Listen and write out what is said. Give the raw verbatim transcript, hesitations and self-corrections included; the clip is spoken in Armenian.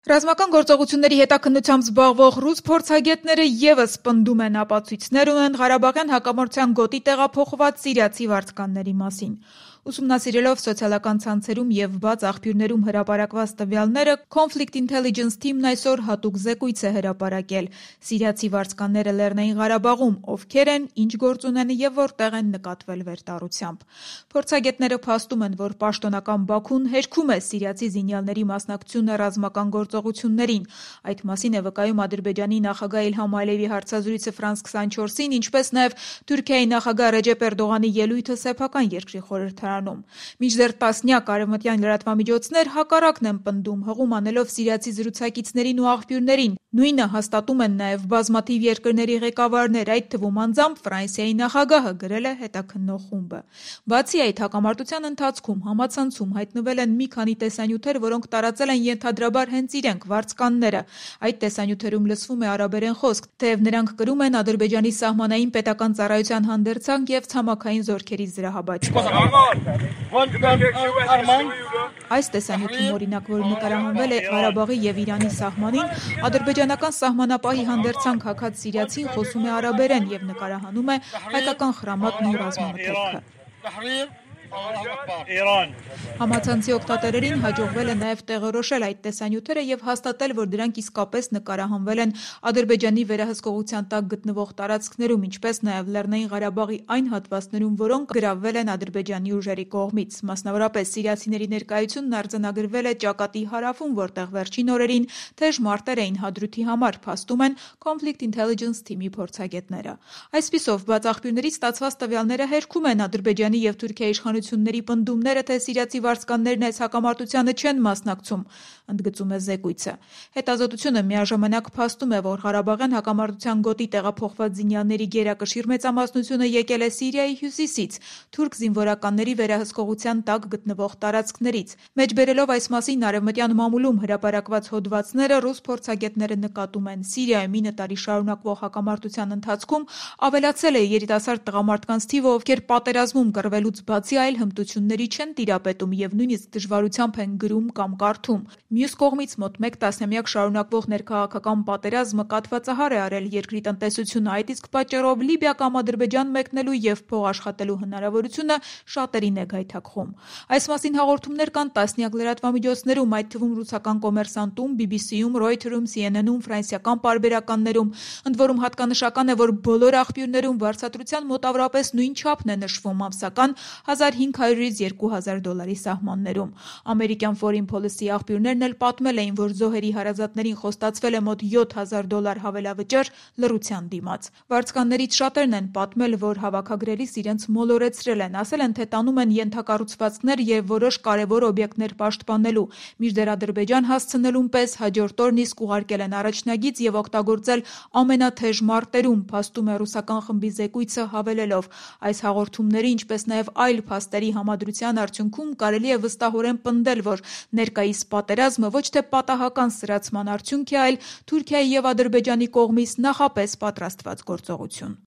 Ռազմական գործողությունների հետաքննությամբ զբաղվող ռուս փորձագետները ևս պնդում են ապացույցներ ունեն Ղարաբաղյան հակամարտության գոտի տեղափոխված սիրիացի վարձկանների մասին։ Ուսումնասիրելով սոցիալական ցանցերում և բաց աղբյուրներում հրապարակված տվյալները, Conflict Intelligence թիմն այսօր հատուկ զեկույց է հրապարակել։ Սիրիացի վարձկանները Լեռնային Ղարաբաղում ովքեր են, ինչ գործ ունեն և որտեղ են նկատվել վերտառությամբ։ Փորձագետները փաստում են, որ պաշտոնական Բաքուն հերքում է սիրիացի զինյալների մասնակցությունը ռազմական գործողություններին։ Այդ մասին է վկայում Ադրբեջանի նախագահ Իլհամ Ալիևի հարցազրույցը Ֆրանս քսանչորսին, ինչպես նաև Թուրքիայի նախագահ Ռեջեփ Էրդողանի ելույթը սեփական երկրի խորհրդարանում։ Մինչդեռ տասնյակ արևմտյան լրատվամիջոցներ հակառակն են պնդում, հղում անելով սիրիացի զրուցակիցներին ու աղբյուրներին։ Նույնը հաստատում են նաև բազմաթիվ երկրների ղեկավարներ, այդ թվում անձամբ Ֆրանսիայի նախագահը, գրել է հետաքննող խումբը։ Բացի այդ, հակամարտության ընթացքում համացանցում հայտնվել են մի քանի տեսանյութեր, որոնք տարածել են ենթադրաբար հենց իրենք վարձկանները։ Այդ տեսանյութերում լսվում է արաբերեն խոսք, թեև նրանք կրում են Ադրբեջանի սահմանային պետական ծառայության հանդերձանք և ցամաքային զորքերի զրահաբաճկոն։ Այս տեսանյութում, օրինակ, որ նկարահանվել է Ղարաբաղի և Իրանի սահմանին, ադրբեջանական սահմանապահի հանդերձանք հագած սիրիացին խոսում է արաբերեն և նկարահանում է հայկական խրամատն ու ռազմամթերքը։ Համացանցի օգտատերերին հաջողվել է նաև տեղորոշել այդ տեսանյութերը և հաստատել, որ դրանք իսկապես նկարահանվել են Ադրբեջանի վերահսկողության տակ գտնվող տարածքներում, ինչպես նաև Լեռնային Ղարաբաղի այն հատվածներում, որոնք գրավվել են Ադրբեջանի ուժերի կողմից։ Մասնավորապես սիրիացիների ներկայությունն արձանագրվել է ճակատի հարավում, որտեղ վերջին օրերին թեժ մարտեր էին Հադրութի համար, փաստում են Conflict Intelligence թիմի փորձագետները։ Այսպիսով, բաց աղբյուրներից ստացված տվյալները հերքում են Ադրբեջանի և Թուրքիայի իշխանությունների պնդումները, թե սիրիացի վարձկաններն այս հակամարտությանը չեն մասնակցում, ընդգծում է զեկույցը։ Հետազոտությունը միաժամանակ փաստում է, որ Ղարաբաղյան հակամարտության գոտի տեղափոխված զինյալների գերակշիռ մեծամասնությունը եկել է Սիրիայի հյուսիսից, թուրք զինվորականների վերահսկողության տակ գտնվող տարածքներից։ Մեջբերելով այս մասին արևմտյան մամուլում հրապարակված հոդվածները, ռուս փորձագետները նկատում են՝ Սիրիայում ինը տարի շարունակվող հակամարտության ընթացքում ավելացել է երիտասարդ տղամարդկանց թիվը, ովքեր պատերազմում կռվելուց բացի այլ հմտությունների չեն տիրապետում և նույնիսկ դժվարությամբ են գրում կամ կարդում։ Մյուս կողմից, մոտ մեկ տասնամյակ շարունակվող ներքաղաքական պատերազմը կաթվածահար է արել երկրի տնտեսությունը, այդ իսկ պատճառով Լիբիա կամ Ադրբեջան մեկնելու և փող աշխատելու հնարավորությունը շատերին է գայթակղում։ Այս մասին հաղորդումներ կան տասնյակ լրատվամիջոցներում, այդ թվում ռուսական Կոմերսանտում, բի բի սիում, Ռոյթերում, Սի Են Էնում, ֆրանսիական պարբերականներում։ Ընդ որում հատկանշական է, որ բոլոր աղբյուրներում վարձատրության մոտավորապես նույն չափն է նշվում՝ ամսական հազար հինգ հարյուրից երկու հազար դոլարի սահմաններում։ Ամերիկյան Foreign Policy աղբյուրներն էլ պատմել էին, որ զոհերի հարազատներին խոստացվել է մոտ յոթ հազար դոլար հավելավճար լռության դիմաց։ Վարձկաններից շատերն են պատմել, որ հավաքագրելիս իրենց մոլորեցրել են, ասել են, թե տանում են ենթակառուցվածքներ և որոշ կարևոր օբյեկտներ պաշտպանելու, մինչդեռ Ադրբեջան հասցնելուն պես հաջորդ օրն իսկ ուղարկել են առաջնագիծ և օգտագործել ամենաթեժ մարտերում, փաստում է ռուսական խմբի զեկույցը հավելելով։ Այս հաղորդումների, ինչպես նաև այլ փաստերի համադրության արդյունքում կարելի է վստահորեն պնդել, որ ներկայիս պատերազմը ոչ թե պատահական սրացման արդյունք է, այլ Թուրքիայի և Ադրբեջանի կողմից նախապես պատրաստված գործողություն։